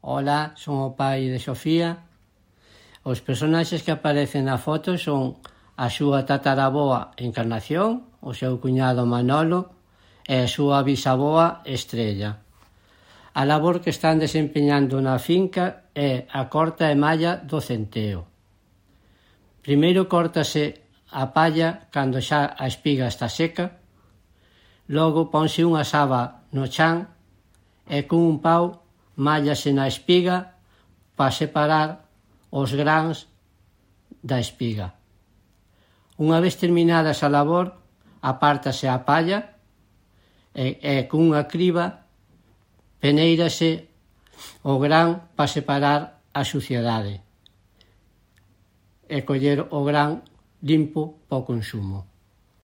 Ola, son o pai de Sofía. Os personaxes que aparecen na foto son a súa tataraboa Encarnación, o seu cuñado Manolo e a súa bisavoa Estrella. A labor que están desempeñando na finca é a corta e malla do centeo. Primeiro córtase a palla cando xa a espiga está seca, logo ponse unha saba no chan e cun un pau mállase na espiga para separar os grans da espiga. Unha vez terminada esa labor, apártase a palla e cunha criba peneírase o gran para separar a suciedade e coller o gran limpo para o consumo.